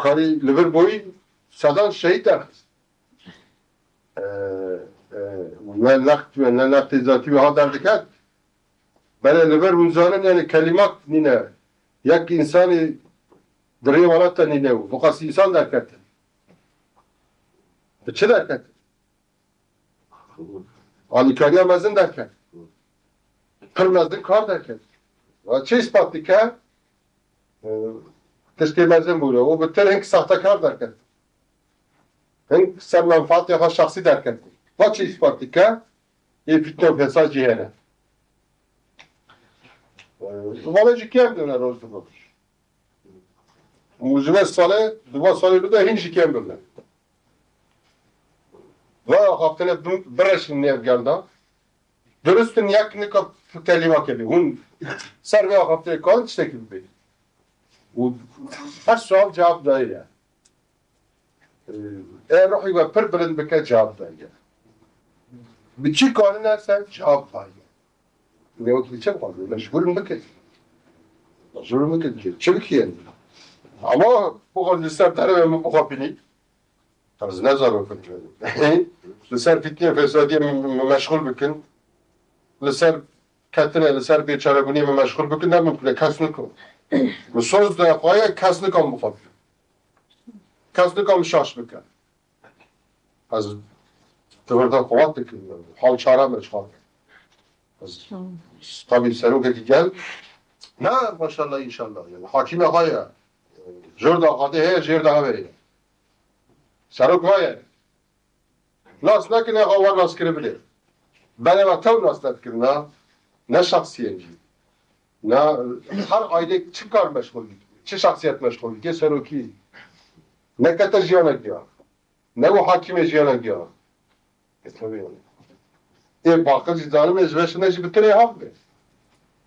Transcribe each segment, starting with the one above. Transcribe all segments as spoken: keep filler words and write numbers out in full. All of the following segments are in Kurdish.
Karî li vir boyî sedan şehîd derxist. E, e, ne next, ne nextê zatî wê ha derdiket. Belê li vir hûn zanin, yani kelimat nîne. Yek însanî di rê welat de nîne û biqas însan derketin. Bi çi derketin? Alîkariya mezin derket. Pir mezin kar derket. Wa çi îspat dike? E, tiştê mezin bûne. Û bi tir hing sahtekar derket. Hing ser menfaatê xwe şexsî derket. Va çi îspat dike? Ê fitne û fesad jî hene. E, vale jî kêm dine roj bi roj. Û ji vê salê, di van salê bide hîn jî kêm bibne. Va axaftinê bi-, bireşin nêv gel de. Durustin yek nika telîmake bê. Hûn ser vê axaftinê karin tiştekî bibê. Û her sual cevap daye. Ê ruhî we pir bilind bike, cevap daye. Bi çi karine ser cevap daye. Ne wekî çi bixwazin? Mecbûr in bikin. Mecbûr in bikin ki. Çi bikiyen? Ama bu kadar li ser derve min bixwe bînî. Ez ne zarokim. Li ser fitnê fesadiyê min, min meşxul bikin. Li ser ketine, li ser bêçarebûniyê min meşxul bikin. Ne mumkin e, kes nikom. Min soz de xwaye kes nikom bixwe bînî. Kes nikom şaş bike. Ez di vir de qewat dikim. Hal çare me çar. Ez tabî serokekî gel. Ne, maşallah, înşallah. Yani, hakîme xwe ye. Jor da xatê heye, jêr de hevê ye. Serok va ye. Nas nekine, xwe wer nas kiribine. Belê me tew nas nedikirina. Ne şexsiyên jî. Ne her aile çi kar meşxul dike, çi şexsiyet meşxul dike, serokî. Nekete jiyanek ya. Ne û hakimê jiyanek ya. E, tabii yani. Ê baqir jî zalim e, ji ve şine jî bi tirê hav be.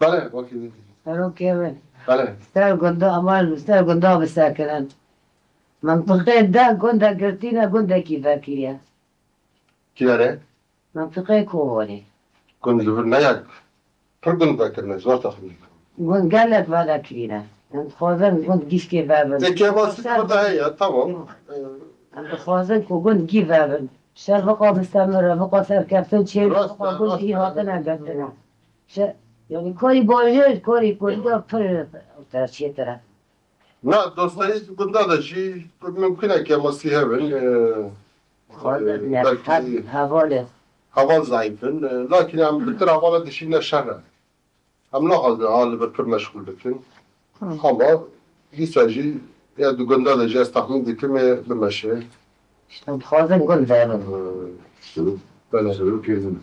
Belê, wekî. Serokê min. Belê. Ser gunda, ama ser gunda bisekirin. Mintiqê de gunda girtî ne, gundekî vekiriye. Kî were? Mintiqê Koholê. Gund li vir ne yek? Pir gund vekirine, zor texmîn bikim. Gund gelek vedekirîne. Em dixwazin gund gişkê vebin. Ê kêmasî li vir de heye, tamam. Em dixwazin ku gund gî vebin. Şer biqa mistemir e, biqa serkeftin çê, biqa gund gî hatine girtine. Şe-, yani karî bajêr, karî kurî de pir çêtir e. Na, dostayî gunda de jî mimkun e kêmasî hebin, e, e, belkî heval zayîf in, e, lakin em bi tir hevala dişîne şer e. Em naxwazin ha li vir pir meşxul bikin. Ama dîsa jî ya di gunda de jî ez texmîn dikim ê bimeşe. Em dixwazin gund verin. Belê. Serokê min,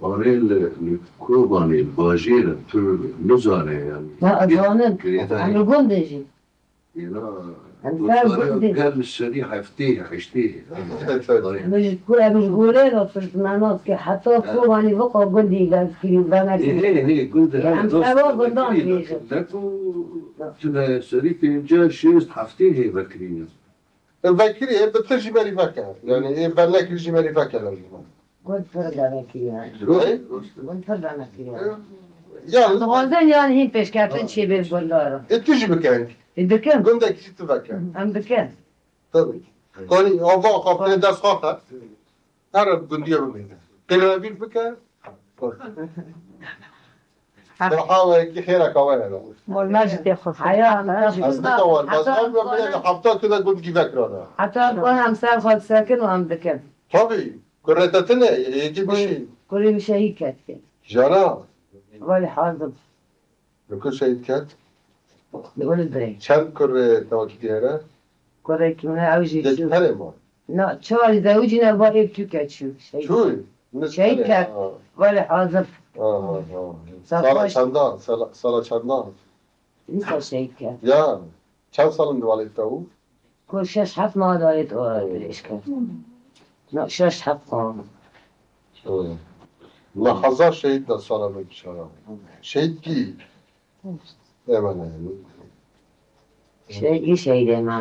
anê li, li Kobanê, li bajêr in, tu nizane yani. Na, ez zanim. Em li gundê jî. Êna, em ser gundê. Gel li serî heftê, heştê. Em ji ku, em ji gorê re firtmenas ke heta Kobanê viqa gundî gel kirî, venekirî. Hê, hê, gundê. Em ser gundan dibêjin. Ne ku tu li serî pêncî, şêst, heftê hê vekirî ne. Vekirî, ê bi tu jî berî veke. Yani, ê vernekirî jî berî veke lazim. Gund pir demekirî yani. Hey? Gund pir demekirî yani. Yani. Dixwazin yani hîn pêşkeftin çêbê gundar. Ê tu jî bikin. Ê dikin. Gundekî jî tu veke. Em dikin. Tabii. Konî, ava xwe dest xwe xwe. Her gundiye bimîne. Pêlevîr bike. Bi hawayekî xêrek awe hene. Mol me jî tê xwe. Heya, ez dikewar, ez ew be bile li hefta tu de gund gîvek rana. Heta em ser xwe disekin û em dikin. Tabii. Kurê te tune, yekî bişî. Kurê min şehîd ket. Jana. Wele hazir. Li ku şehîd ket? Li Uludrê. Çend kurê tewakî hene? Kurekî min ew jî çû. Yekî tenê ma? Na, çar zewicîne, va êk tûke çû. Şehîd. Çû? Şehîd ket. Wele hazir. Sala çendan? Sala, sala çendan? Dîsa şehîd ket. Ya. Çend sal in di walê te bû? Ku şeş heft mala dayê dirêj kir. Na, şeş heft mala. Li hezar şehîd de sala me bişara. Şehîd kî? Êmene. Şehîd kî şehîdê me.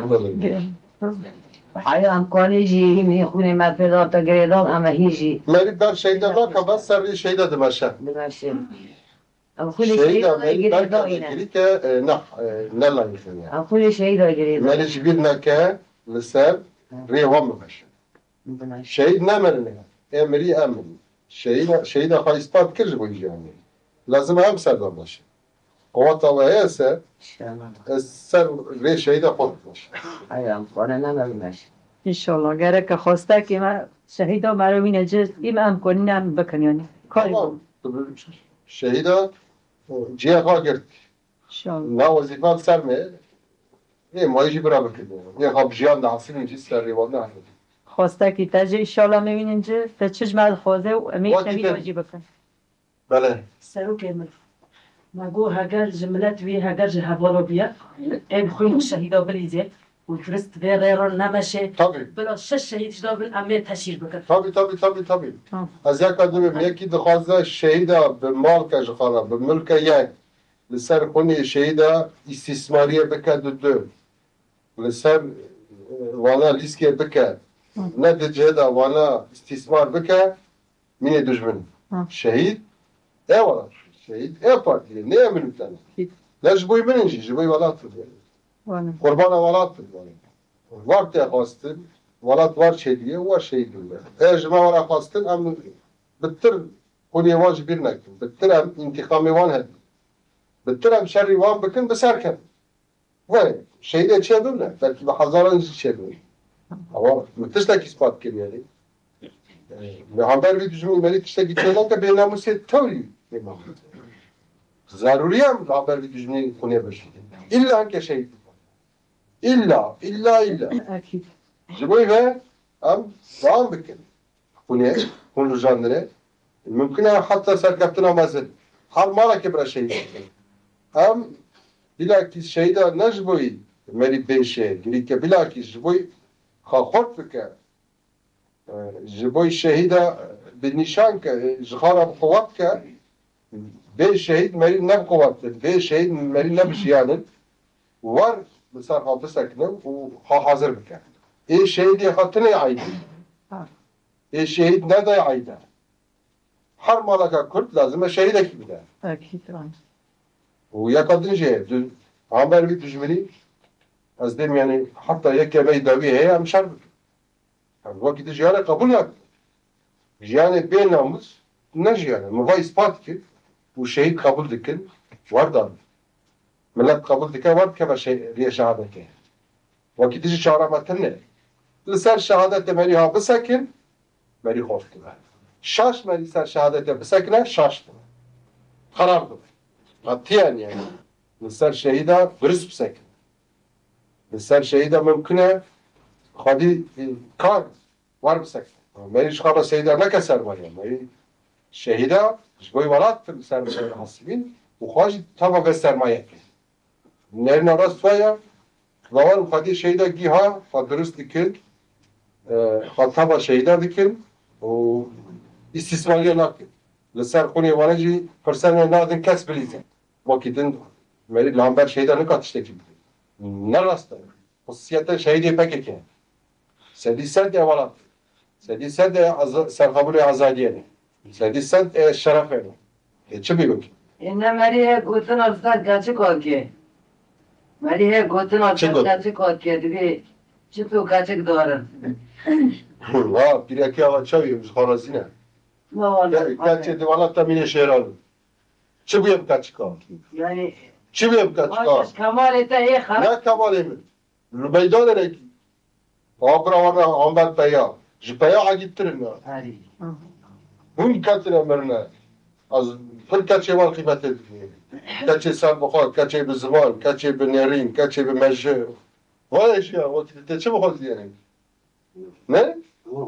Heya em kanê jî hîn hîn xûnê me pê da te girêdan, em hîn jî. Merî ber şehîde da ka bes serî şehîde dimeşe. Dimeşe. Ew xulê şehîda Merî belke girêdayî ne. Girîke, e, ne, e, ne layîqî ne. Ew xulê şehîda girêdayî. Merî ji bîr neke li ser rê wan bimeşe. Bimeşe. Şehîd nemirine. Ê mirî em mirî. Şehîda, şehîda xwe îspat kir ji bo jiyanê. Lazim em ser de baş. Qeweta we heye ser, inşallah, ez ser rê şehîda xwe bimeşe. Ay, em xwe ne me bimeşe. İnşallah. Gereke xwestekê me şehîda me re wîne ci, îm em konîne em bikin yani. Karê Tamam. Bû. Şehîda, e, cihê xwe girt. İnşallah. Na wezîfa li ser me, ê mayî jî bira bikin. Ê xwe bi jiyan de hasilin jî ser rêwan de hasilin. Xwestekî te jî inşallah me wînin ci, te çi ji me dixwaze û em ê Wekî şehîda te- jî bikin. Belê. Serokê min. Me got heger ji milet wî, heger ji hevala bûye, em xwîn şehîda bilîzê û durist vê rê re nemeşê. Tabii. Bila şeş şehîd ji da bin em ê teşhîr bikin. Tabii, tabii, tabii, tabii. Tamam. Ez yeka dibim, yekî dixwaze şehîda bi mal ke ji xwe re, bi milke yek, li ser xwinê şehîda îstîsmariyê bike du du. Li ser, e, wana lîskê bike. Hı. Ne di cihê de wana îstîsmar bike. Mînê dijmin. Ha. Şehîd, e welat. Şehîd, e partiyê, ne ye min tene. Şehîd. Ne ji bo min in jî, ji bo welat in. Wala. Qurbana welat in, wala. War te xwestin, welat war çêdiye, war şehîd bûne. E ji me wara xwestin, em bi tir xwinê wan ji bîr nekin. Bi tir em întîqamê wan hebin. Bi tir em şerî wan bikin, bi ser kevin. Were, şehîdê çêbibne, belkî bi hezaran jî çêbibne. Ama min tiştekî spat kir yani. Li hember vî dijminî merî tiştekî çênake bênamûsê tewrî pê ma. Zarûrî ye em li hember vî dijminî xwinê bişînin. Îlla hinke şehîd bibin. Îlla, îlla, îlla. Ekîd. Ji bo ve em dewam bikin. Hûn ê, hûn rijandine. Mumkin e heta serkeftina mezin. Her malekê bira şehîd bikin. Em bilakîs şehîda ne ji bo yî merî bêşe, girîke bilakîs ji bo yî xwe xurt bike. E, ji bo yî şehîda bi nîşan ke, ji xwe re bi quwet ke, bê şehîd merî ne bi quwet in, bê şehîd merî ne bi jiyan in. War li ser xwe bisekine û xwe hazir bike. Ê şehîdê xwe tinê eydî. Ê şehîd nedayê eyde. Her maleka Kurd lazim e şehîdekî bide. Ekîd, rast. Û yeka din jî heye, di hember vî dijminî ez dêm, yanî heta yekê me yî dawî heye em şer bikin. Em wekî din jiyanê qebûl nakin. Jiyanê bê namûs ne jiyan e. Min va îspat kir û şehîd qebûl dikin, war dan. Milet qebûl dike, war dikeve şe-, rêya şehadetê. Wekî dijî çara me tune. Li ser şehadetê merî ha bisekin, merî xort dibe. Şaş merî ser şehadetê bisekine, şaş dibe. Xerab dibe. Qetiyen yani. Li ser şehîda durist bisekin. Li ser şehîda mimkun e xwedî, e, kar war bisekine. Merî ji xwe re şehîda neke sermaye. Merî şehîda ji bo welat li ser sermaye hasibîn û xwe jî tava vê sermayekê. Nerîna rast we ye, bawer xwedî şehîda gîha xwe durist dikin, e, xwe tava şehîda dikin û îstîsmariye nakin. Li ser xwinê wan jî firsene nadin kes bilîze. Wekî din merî li hember şehîda nika tiştekî bike. Ne rast e. Xusûsiyete şehîdê P K K. Sedî sed e welat. Sedî sed e aza-, serxwebûnê azadiyê ne. Sedî sed e şerefê ne. E, çi bî wekî? E, ne merî heye gotina li ser keçik hatike. Merî heye gotina li ser keçik hatike. Dibê çi tu keçik darin. Ha, pîrekê awa çav ye, ji xwe razî ne. Ke-, keçê di welata mînê şêran. Çi bûye bi keçika? Yani, çi bûye bi keçika? Kemalê te ê xera- Ne kemalê min. Li meydanê rekî. Abra wana amber peya. Ji peya egîttirin ya. Hûn ketine mirine. Ez pir keçê wan qîmetê didî. Keçê serbixwe, keçê bi ziman, keçê bi nêrîn, keçê bi mejê. Vay eşya, wekî te çi bixwazî yani? Ne?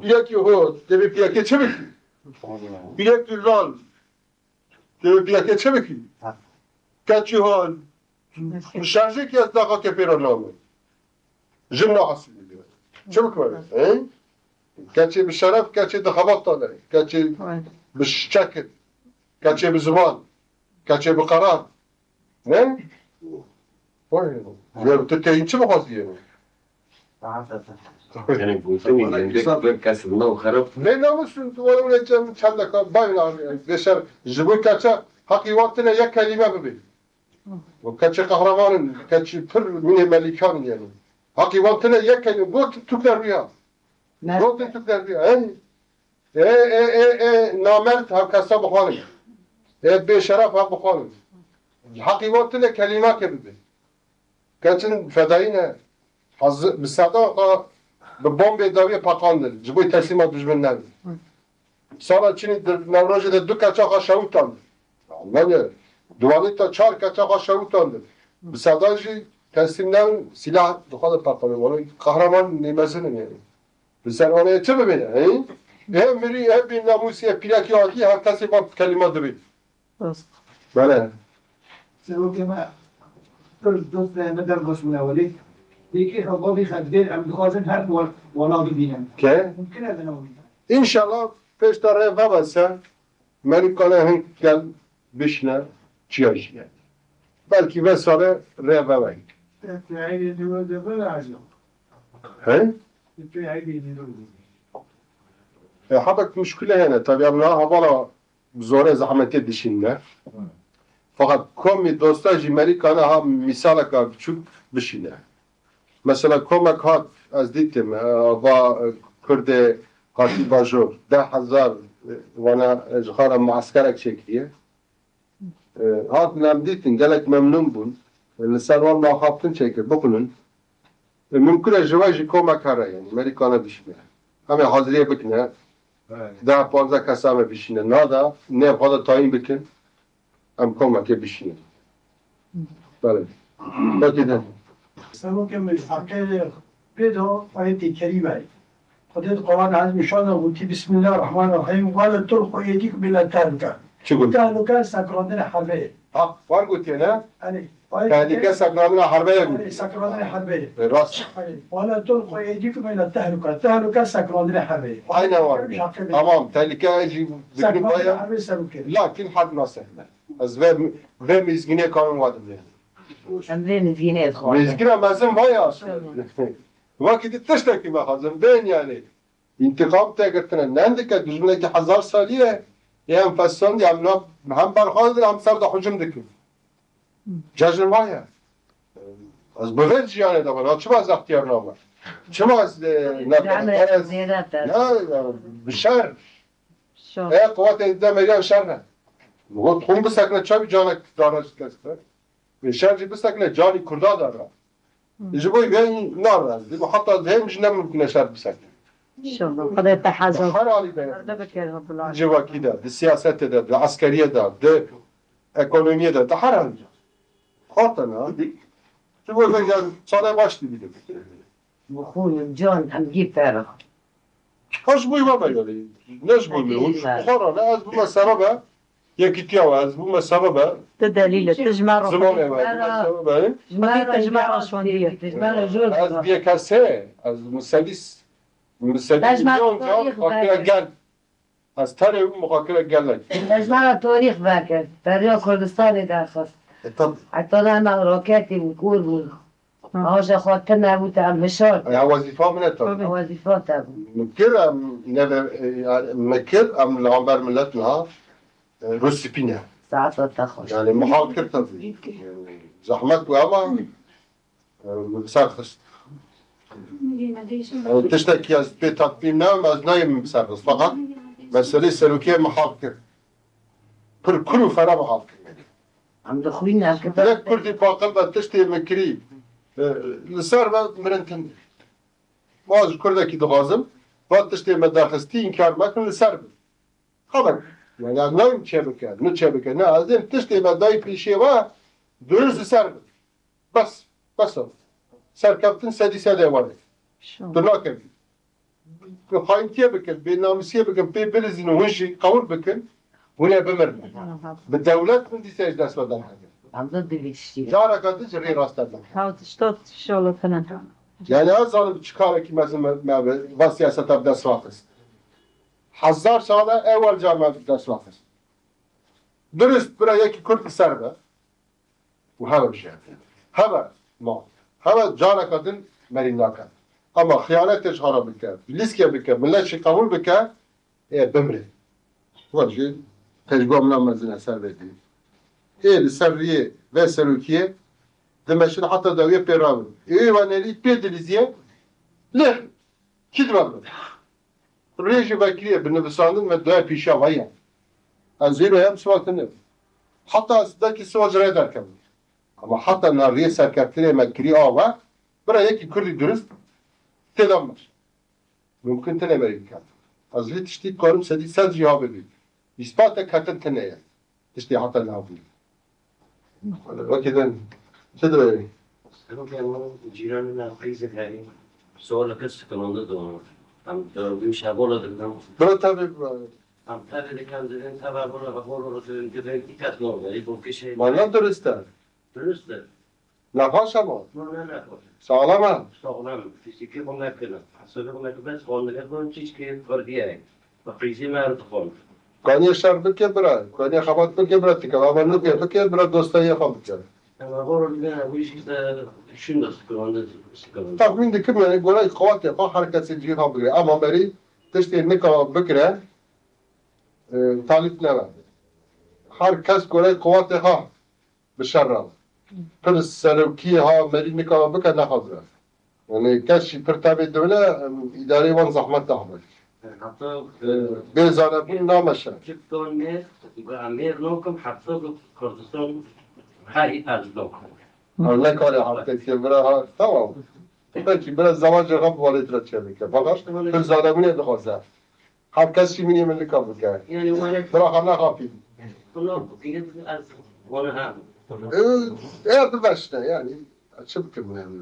Piyekî ho, te bi piyekê çi bikî? Piyekî lal. Tu yê piyekê çi bikî? Ha. Keçî hal. Şerjê ki ez daqa kepêra name. Jin na asilî diye. Çi bikime? He? Keçê bi şeref, keçê di xebat da de. Keçê bi çekit. Keçê bi ziman. Keçê bi qerar. Ne? Vay. Ya tu teyîn çi bixwazî yê? Yani gotinî hindek bir kes nav xerab. Ne namusun, tu were were cem çendeka bayın abi. Beşer, ji bo keçe, Heqî wan tine yek kelîme bibê. Û keçê qehreman in, keçê pir mînê melîkan in yani. Heqî wan tine yek kelîme. Gotin Tirk derbiya. Gotin Tirk derbiya. Ey, ê, ê, ê, ê, namert hevkesa bixwarin. Ê, bêşeref hev bixwarin. Heqî wan tine kelîmeke bibe. Keçin fedayî ne. Haz-, bi sedaka bi bombê dawiyê peqandin. Ji bo teslîma dijmin nebin. Sala çinî di Newrojê de du keça xwe şewitandin. Almanya duwanî ta çar keça xwe şewitandin. Bi sedan jî teslîm nebin, sîlah di xwe de peqandin. Wele qehreman nêmezin in yani. Li ser anê çi bibêne, he? He mirî, he bênamûsî, he pîrekî adî, her kesê van kelîma dibê. Rast. Bele. Serokê me, pir dostê me derxist wina welê. Yekî xebabî xebdêr em dixwazin her wal-, wala bibînin. Ke? Mumkin e bina wî. Înşallah pêş de rê vebe ser, Merîkana hin gel bişine çiya jî. Belkî ve sale rê vebe. He? E, habek muşkile hene. Tabii em niha hevala bi zorê zehmetê dişînine. Feqet komê dosta jî Merîkana ha mîsaleka biçûk bişîne. Mesela komek hat, ez dîtim, e, va, e, Kurdê hatî bajor, deh hezar, e, wana, e, ji xwe re mueskerek çêkiriye. E, hatin em dîtin, gelek memnûn bûn. E, li ser wan axaftin çêkir, bixwînin. E, mimkun e ji we jî komek here, yani, Merîkana bişîne. Em ê haziriyê bikine. Evet. Deh panzdeh kesa me bişîne. Nada, nê xwe de tayîn bikin. Em komekê bişînin. Belê. Peki de. Serokê min ji heqê pê de ayetê kerîme ye. Xwedê di Quran Ezîm Şan de gotî, Bismillahirrahmanirrahîm, "Ve la tulqu eydikum ila tehlûke." Çi got? Tehlûke sekrandinê herbê ye. Ha, wan gotiye ne? Erê, ayet Tehlûke kerîme sekrandina herbê ye got. Erê, sekrandinê herbê ye. E, rast. Erê, "Ve la tulqu eydikum ila tehlûke." Tehlûke sekrandinê herbê ye. Aynen var. Ji heqê pê de. Tamam, tehlûke jî Sekrandinê herbê serokê. Lakin herb nasehne. Ez vê, vê mizgînê karin wa dibêm. Em vê mizgînê dixwazin. Mizgîna mezin vaya. Tamam. Wekî di tiştekî mexwazin. Bên yani. Întiqam tê girtine. Nendike dijminekî hezar salî ye. Ê em fesandî, em na, hem berxwe didin, hem ser de hucum dikin. Cejn vaya. Ez bi vê jiyanê de bana. Çima ez extiyar nabim? Çima ez, e, ne, Yani, ez, zêde te. Ya, ya, bi şer. Şo. E, quwetê de meriyan şer ne. Got, xûn bisekine, çavî canek dara ji dest be. Vê şer jî bisekine, canî Kurda dara. Hı. Ji bo vê narazî, heta dihêm jî ne mimkun e şer bisekine. İnşallah. Xwedê te hezar. Her halî de. Perde bike Rabbul Alemin. Civakî de, di siyasetê de, di eskeriyê de, di ekonomiyê de, di her halî de. Xatena. Ji bo vê gel, çare baş dibînim. Bi xûn û can em gî ferix. Ha ji bo me yani. Ne ji bo me. Hûn ji xwe re ne, ez bûme sebebe yekîtiya we, ez bûme sebebe Tu delîl e, tu ji me re zimanê we, ez bûme sebebe. Xwedê te ji me re şondiye. Ez biyekesê, ez misedîs, misedîs milyon can muxakire gel. Ez tenê wî muxakire gel nekim. Te ji me re tarîx vekir. Beriya Kurdistanê derxist. E, tam. Heta ne me roketî û kûr bûn. Aja xwe tune bû te em hişar. Ya wezîfa min e tabii. Wezîfa te bû. Min kir em neve, e, yani, min kir em li hember millet niha, e, rûspî ne. Saeta te xweş. Yani, min hal kir tabii. Zehmet bû ama, e, min bi ser xist. Yani, tiştekî ez pê tatbîn nabim, ez nayêm min bi ser xist. Fakat meselê serokê min hal kir. Pir kul û fera min hal kir. Em dixwînin, em kitab Yek Kurdî baqil be tiştê min kirî, e, li ser be mirin tundî. Ma ji Kurdekî dixwazim, va tiştê me derxistî, înkar mekin, li ser bin. Xeber. Yani, ez nayêm çê bike, ne çê bike, ne, ez êm tiştê me dayî pêşiya we, dirust li ser bin. Bes, bes o. Serkeftin sedî sedê wan e. Şo. Tu nakevî. Tu xayintiyê bikin, bênamûsiyê bikin, pê bilizînin, hûn jî qewil bikin, hûn ê bimirin. Aha. Bi dewlet min dîsa ji dest ve derhetin. Em de divê tiştî. Careke din ji rê rast derhetin. Haw tişta şolatine. Yani ez zanim çi karekî mezin me, me bi va siyaseta bi dest ve xist. Hezar sal e ewel car me bi dest ve xist. Dirust bira yekî Kurd li ser be. û heve bijêre. Heve ma. Heve careke din merî nake. Ama xiyanetê ji xwe re bike, lîskê bike, milet jî qebûl bike, ê bimre. Wan jî tecrûba min a mezin e ser vê dî. Ê li ser riyê ve serokiyê dimeşin heta dawiyê pê rabin. Ê wê wanelî pê dilîziye lê kî dibe bin. Rê jî vekiriye bi nivisandin ve dawiyê pîşa ve ye. Ez zîro em siwak tine. Heta ez dekî siwa ji rê derkevim. Ama heta na riyê serkeftinê me kirî ava, bira yekî kurdî durist têda mir. Mumkin tine merî biket. Ez vî tiştî karim sedî sed jî ha bibî. Îspatek ketin tine ye. Tiştê heta niha bûye. Wekî din. Çi diwêrî? Cîranê me qîzek herî. Sola kir sikinonde donu. Em dördüncü şabola dikdem. Bira tabi bira. Em tabi dikem dibin, tabi bura ve holo dibin, dibin, iki kat normal, bu kişi. Valla dürüst e. Dürüst e. Nexweş e ma? No, ne nexweş. Sağlam e? Sağlam. Fiziki xwe mekine. Hesabê xwe mekine, bes xwendine xwe çiçkê xwediye. Bi qîzî me dixwend. Kaniyê şer bike bira. Kaniyê xebat bike bira, tike. Ama nike bike bira, dostayê xwe bike. Ama xwe bine, bu iş işte şunda sıkılandı, sıkılandı. Tahmin dikim yani, gorey qewatê xwe her kesê cihê xwe bigire. Ama merî tiştê nika bikire, e, talîb nebe. Her kes gorey qewatê xwe bi şer re. Pir serokî ha merî nika bike nexwazire. Yani kes jî pir tevê dewle, em, îdareyê wan zehmet dahme. Hatta, e, bê zanebûn nameşe. Çik ton mêr, mêr nokim, hatta bi Kurdistan her î ez nokim. Ha, ne kare haftekê bira ha, tamam. Peki, biraz zaman cevap valêt re çevike. Fakat pir zanebûnê dixwaze. Her kes jî minê min nika bike. Yani, were- Bira xwe nexapî. Bunu bugün ez bunu ha. Ee, eğer bir başta yani, çi bikim yani.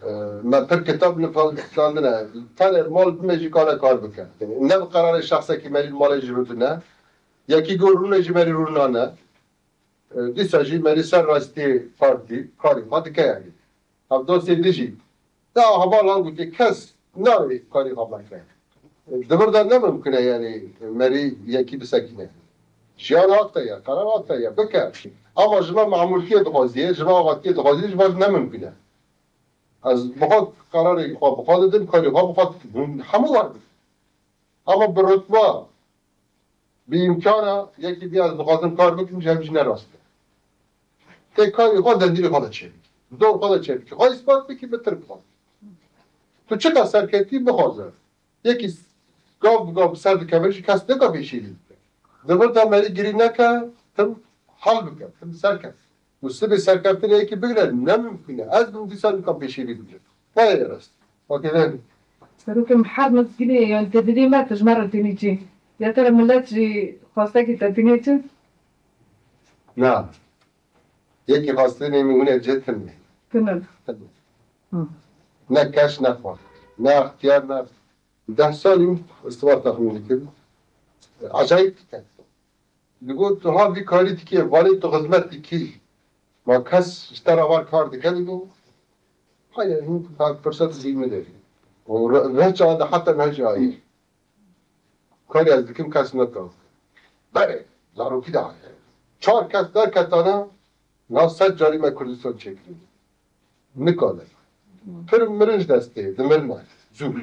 Ee, me pir kitab nivîsandine. Tenê mal bime jî kare kar bike. Yani, ne bi kararê şexsekî merî malê jî bibine. Yekî gor rûnê jî merî rûnane. E, dîsa jî merî ser rastî partî karî xwe dike yanî. Ev dostê din jî. Ya heval han gotê kes nayê karî xwe veke. E, di vir de ne mimkun e yanî merî yekî bisekîne. Jiyan hak te ye, qerar hak te ye, bike. Ama ji me memûrtiyê dixwazî, ji me avatiyê dixwazî, ji me ne mimkun e. Ez bi xwe qerarê xwe bi xwe didim, karê xwe bi xwe dikim. Hûn hemû wer bin. Ama bi rutba, bi îmkana yekî bî ez dixwazim kar bikim, ji hev jî ne rast e. Tê karê xwe dendîrê xwe de çêbikî. Dor xwe de çêbikî. Xwe îspat bikî, bi tir bixwe. Tu çiqas serketî bixwaze. Yekî gav bi gav bi ser dikeve jî kes neka pêşî bike. Di vir de merî girî neke, tim hal bike, tim serkef. Û sibê serkeftinê yekî bigre, ne mimkun e. Ez bim dîsa nikam pêşî bigrim. Ne ye rast. Wekî vê. Serokê me her mizgînê, yani tedbirê me, tu ji me re tînî çi? Ya te re millet jî xwestekî te tînê çi? Na. Yekî xwestinê min hûn ê cê tune. Tune. Tune. Hı. Ne keş, ne xwe. Ne extiyar, ne. Deh salî min istibar texmîn dikim. Acayip diket. Digot, tu ha vî karî dikî, vanê tu xizmet dikî. Ma kes ji te re var kar dike, digo. Hayır, hûn fırsat zî min de. O re-, rehça de heta mehca ye. Karî ez dikim kes neka. Berê, zarokî de heye. Çar kes derketane, nav sed carî me Kurdistan çêkirî. Nikane. Pir mirin ji destê, dimirine. Zû.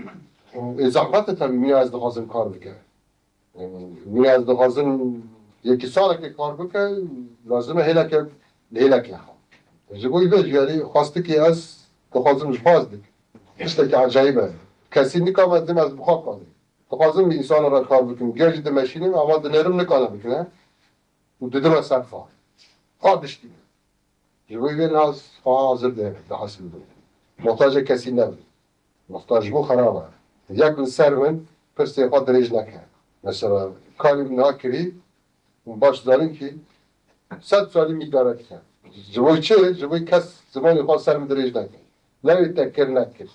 Ê zehmet e tabii, min ez dixwazim kar bike. Min ez dixwazim yekî salekê kar bike, lazim e hêleke, hêleke ha. Ji bo vê jî, yanî xwestikê ez dixwazim ji xwe ez dikim. Tiştekî ecayîb e. Kesî nikame dim ez bi xwe kanî. Dixwazim bi însana re kar bikim. Ger jî dimeşînim, ama dinerim nikane bikine. Û didime ser xwe. Xwe diştîne. Ji bo vê nas xwe hazir de, de hasil bû. Muhtacê kesî nebin. Muhtac bû xerab e. Yek li ser min pirsê xwe dirêj neke. Mesela karî min niha kirî, hûn baş zanin kî sed salî min îdare dike. Ji bo çi? Ji bo kes zimanê xwe ser min dirêj neke. Lewê te kir nekir.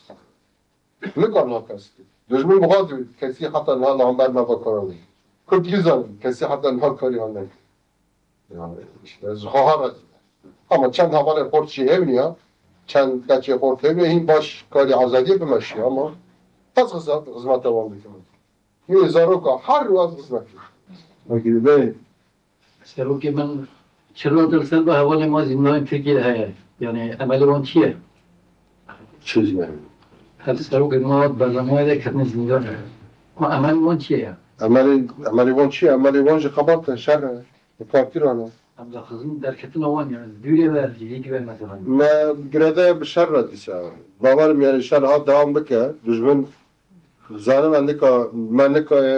Nikar niha kes kir. Dijmin bi xwe diwî kesî heta niha li hember me vekarandî. Kurd jî zanin kesî heta niha karî han nekir. Yani işte, ez ji xwe ha razî me. Ama çend hevalê xort jî hevniya, çend keçê xort hevniya, hîn baş karî azadiyê bimeşiya ama ez xizmet, xizmeta wan dikim. Yê zaroka her rû ez xizmet dikim. Wekî bê. Serokê min çilo dil ser bi hevalê ma zîndana Tirkiyê heye. Yani emelê wan çi ye? Çi zî yani? Her serokê ma bernameya de ketine zîndan. Ma emelê wan çi ye? Emelê, emelê wan çi ye? Emelê wan jî xebat e, şer e. Li partî re ne. Em de xizin derketina wan, yani dûrê ve, cihê ve mesela. Me girêdayê bi şer re dîsa. Bawerim yani şer ha dewam bike. Dijmin zanim me nika, me nika e,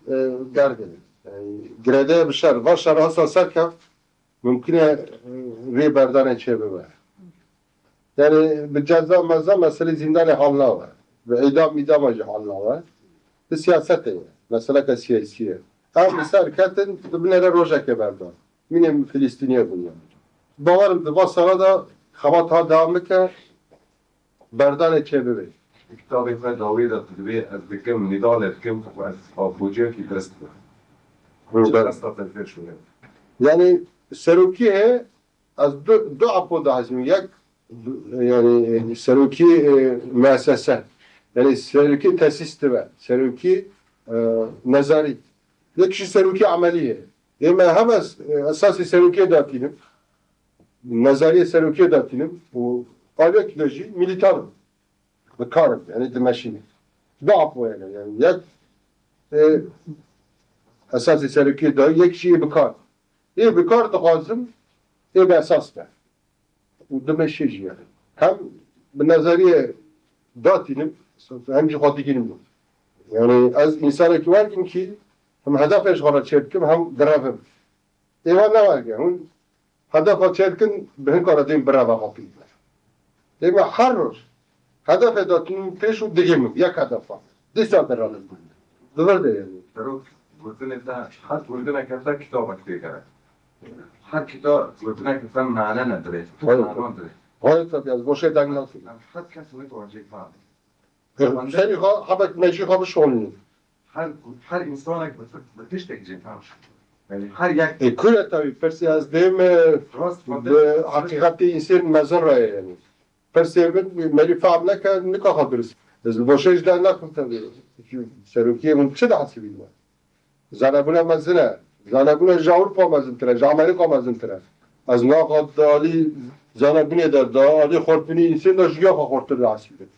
e, derdê. Yani girêdayê bi şer. Va şer hasa serkeft, mumkin e e, rê berdanê çê bibe. Yani bi ceza meza meselê zîndanê hal nabe. Bi îdam mîdama jî hal nabe. Bi siyasetê ye. Meseleke siyasî ye. Em li ser ketin, di binêre rojekê berdan. Mînê Filistîniyê bûye. Bawerim di va sala de xebat ha dewam bike, berdanê çê bibe. Di kitabê xwe dawî de tu dibê ez dikim, nîdalê dikim û ez afûciyekî dest dikim. Çi qesta te pêş bûye? Yani serokiyê ez du, du apo dihezim. Yek yani serokî e, müessese. Yani serokî tesîs dibe. Serokî e, nezarî. Yek jî serokî emelî ye. Ê me hem ez e, esasî serokiyê datînim. Nezariyê serokiyê datînim û aliyek de jî milîtan im. Bi kar im, yani dimeşînim. Du apo yani. Yani yek e, esasî serokiyê da, yek jî ê bi kar. Ê bi kar dixwazim, ê bi esas be. Û dimeşê jî yani. Hem bi nezariyê datînim, hem jî xwe digînim. Yani ez insanekî wan im ki hem hedefê ji xwe re çêdikim, hem direvim. Ê wan ne weke, hûn hedefa çêdikin, bi hin kara dên bireva xwe pî. Ê me her roj hedefê datînim pêş û digînim, yek hedefa. Dîsa direvim. Di vir de yani. Serok, gotinê te, her gotineke te kitabek tê kere. Her kita gotineke te mane ne dirê. Hayır. Manon dirê. Hayır tabii, ez boşê deng nakim. Em her kes ne kawacê kar. Serî xwe, hebek mejî xwe bişonînin. Her, her insanek bi, bi tiştek cêkan. Yani her yek E, kure tabii, pirsî ez dêm e, rast bi heqîqetê însên mezin re ye yani. Pirsê min merî fehm neke, nika xwe dirist. Ez li boşê ji der nakim tabii. Serokiyê min çi dihesibî me? Zanebûna mezin e. Zanebûna ji Ewropa mezintir e, ji Amerîka mezintir e. Ez naxa di alî zanebûnê de, di alî xortinî însên de ji ya xwe xortir dihesibînim.